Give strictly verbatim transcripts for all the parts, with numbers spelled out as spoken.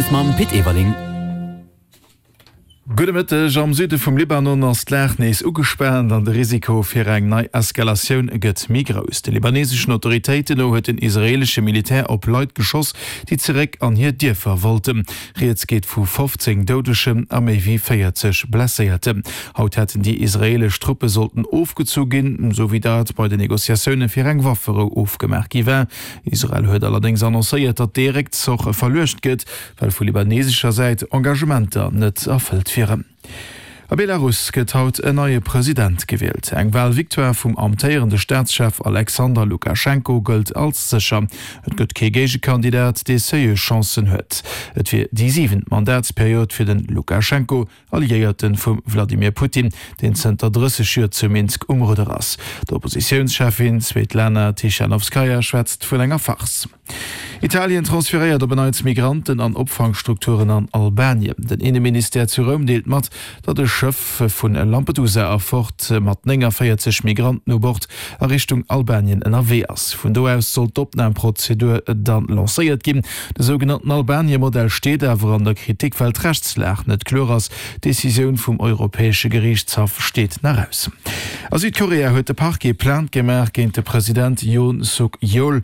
News mam Pit Everling. Gudde Mëtteg, Am Süde vum Libanon ass d'Lag nees ugespaant an de Risiko fir eng nei Eskalatioun gëtt méi grouss. De libaneseschen Autoritéiten no huet den israeelesche Militär op Leit geschoss, déi zeréck an hir Dierfer wollten. Rieds geet vu fofzéng Doudegen a méi wéi véierzeg Blesséierten. Haut hätten déi israeelesch Truppe sollten ofgezu ginn, esou wéi dat bei den Negociatioune fir eng Wafferou ofgemaach gi war. Israel huet allerdéngs annoncéiert, datt dee Réckzoch verluecht gëtt, well vu libanesescher Säit Engagementer net erfëllt wieren. A Belarus gëtt haut en neie President gewielt. Eng Walvictoire vum amtéierende Staatschef Alexander Lukaschenko gëllt als sécher. Et gëtt kee Géigekandidat, dee seriö Chancen huet. Et wier déi siwent Mandatsperiod fir de Lukaschenko, Alliéierte vum Wladimir Putin, deen zënter drësseg Joer zu Minsk um Rudder ass. D'Oppositiounscheffin Svetlana Tichanowskaja schwätzt vun enger Farce. Italien transferéiert op en Neits Migranten an Opfangstrukturen an Albanien. Den Inneministère zu Roum deelt mat, datt e Schëff vu Lampedusa erfort mat nénganvéierzeg Migranten u Bord a Richtung Albanien ënnerwee ass. Vun do aus soll d'Opnamprozedur dann lancéiert ginn. De sougenannten Albanie-Modell steet awer an der Kritik, well d'Rechtslag net kloer ass. D'Decisioun vum Europäesche Geriichtshaff steet nach aus. A Südkorea huet de Parquet Plainte gemaach géint de President Yoon Suk Yeol.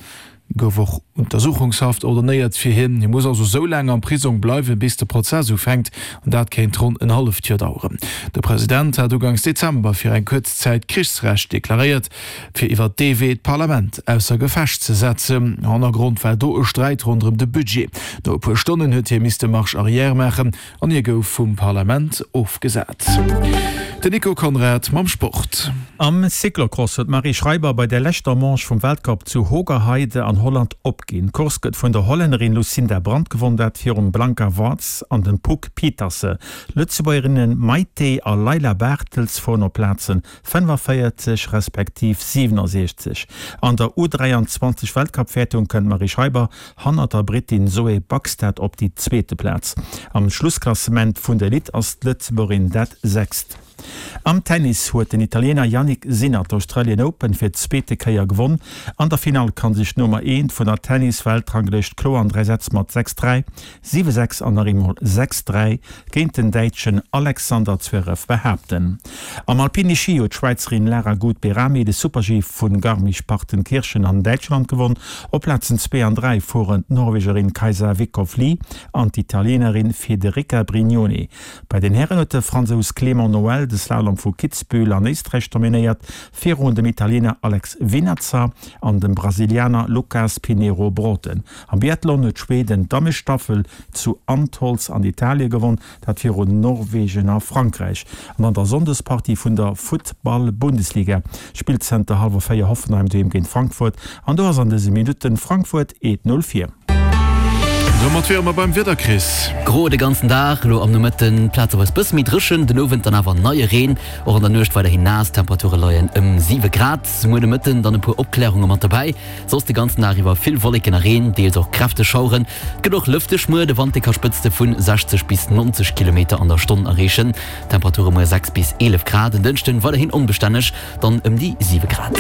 Gouf och Untersuchungshaft ordonéiert fir hien. Hie muss also sou laang am Prisong bleiwen, bis de Prozess ufänkt, an dat kéint ronn en halleft Joer daueren. De President hat uganks Dezember fir eng kuerz Zäit Krichsrecht deklaréiert, fir iwwer dee Wee d'Parlament ausser Gefecht ze setzen. Hannergrond war do e Sträit ronderëm de Budget. No e puer Stonnen huet hie misste Marche arrière maachen an hie gouf vum Parlament ofgesat. Den Nico Conrad mam Sport. Am Cyclocross huet d'Marie Schreiber bei der leschter Manche vum Weltcup zu Hoogerheide an Holland opginn. D'Course gëtt vun der Hollännerin Lucinda Brand gewonn, dat virum Blanka Vas an dem Puck Pieterse. D'Lëtzebuergerinnen Maite a Layla Bartels fueren op Plazen fënnefavéierzeg respektiv siwenasiechzeg. An der U dräianzwanzeg Weltcup-Wäertung kënnt d'Marie Schreiber hannert der Brittin Zoe Backstedt op déi zweete Plaz. Am Schlussklassement vun der Elite ass d'Lëtzebuergerin dat Sechst. Am Tennis huet den Italiener Jannik Sinner d'Australian Open fir d'zweete Kéier gewonn. An der Finall kann sech d'Nummer eent vun der Tennis-Weltranglëscht kloer an dräi Sätz mat sechs, dräi, siwe, sechs an nach eemol sechs, dräi géint den Däitschen Alexander Zverev behaapten. Am Alpine Schi huet d'Schwäizerin Lara Gut-Behrami de Super-G vu Garmisch-Partenkirchen an Däitschland gewonn. Op Plazen zwee an dräi fueren d'Norwegerin Kajsa Vickhoff Lie an d'Italienerin Federica Brignone. Bei den Hären huet de Fransous Clément Noël de Slalom vu Kitzbühel an Éisträich dominéiert, virun dem Italiener Alex Vinatzer an dem Brasilianer Lucas Pinheiro Braathen. Am Biathlon huet Schweden d'Dammestaffel zu Antholz an Italie gewonn, dat virun Norwegen a Frankräich. An an der Sonndespartie vun der Futtball-Bundesliga spillt zënter hallwer véier Hoffenheim doheem géint Frankfurt an do ass an dëse Minutten Frankfurt eent Null vir. Domat wiere mer beim Wieder, Chris. Gro de ganzen Dag, elo am Nomëtten plazeweis bësse méi dréchen, den Owend dann awer neie Reen. Och an der Nuecht weiderhin naass, d'Temperature leien ëm siwe Grad. Muer de Mëtten dann e puer Opklärunge mat dobäi, soss de ganzen Dag iwwer vill Wolleken a Reen, deels och kräfteg Schaueren. Et gëtt och lëfteg muer, de Wand dee ka Spëtzte vu sechzeg bis neunzeg Kilometer an der Stonn erreechen. Temperature muer sechs bis eelef Grad, en Dënschden weiderhin onbestänneg, dann ëm déi siwe Grad.